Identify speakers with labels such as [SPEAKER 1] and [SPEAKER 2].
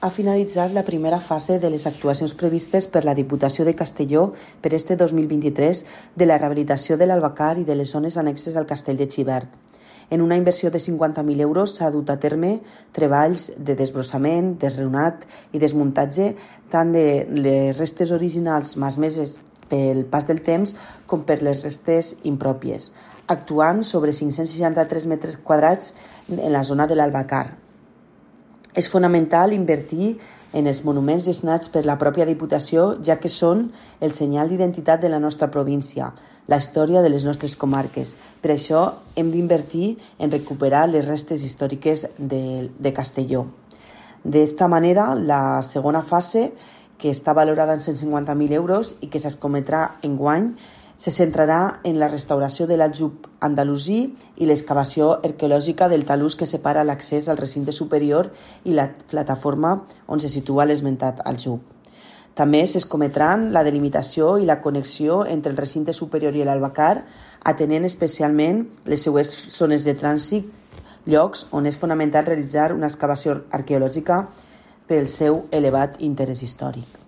[SPEAKER 1] ha finalitzat la primera fase de les actuacions previstes per la Diputació de Castelló per este 2023 de la rehabilitació de l'Albacar i de les zones annexes al Castell de Xivert. En una inversió de 50.000 euros s'ha dut a terme treballs de desbrossament, desreunat i desmuntatge tant de les restes originals malmeses pel pas del temps com per les restes impròpies, actuant sobre 563 metres quadrats en la zona de l'Albacar. És fonamental invertir en els monuments gestionats per la pròpia Diputació, ja que són el senyal d'identitat de la nostra província, la història de les nostres comarques. Per això hem d'invertir en recuperar les restes històriques de Castelló. D'esta manera, la segona fase, que està valorada en 150.000 euros i que s'escometrà enguany, se centrarà en la restauració de l'aljub andalusí i l'excavació arqueològica del talús que separa l'accés al recinte superior i la plataforma on se situa l'esmentat aljub. També s'escometran la delimitació i la connexió entre el recinte superior i l'Albacar, atenent especialment les seues zones de trànsit, llocs on és fonamental realitzar una excavació arqueològica pel seu elevat interès històric.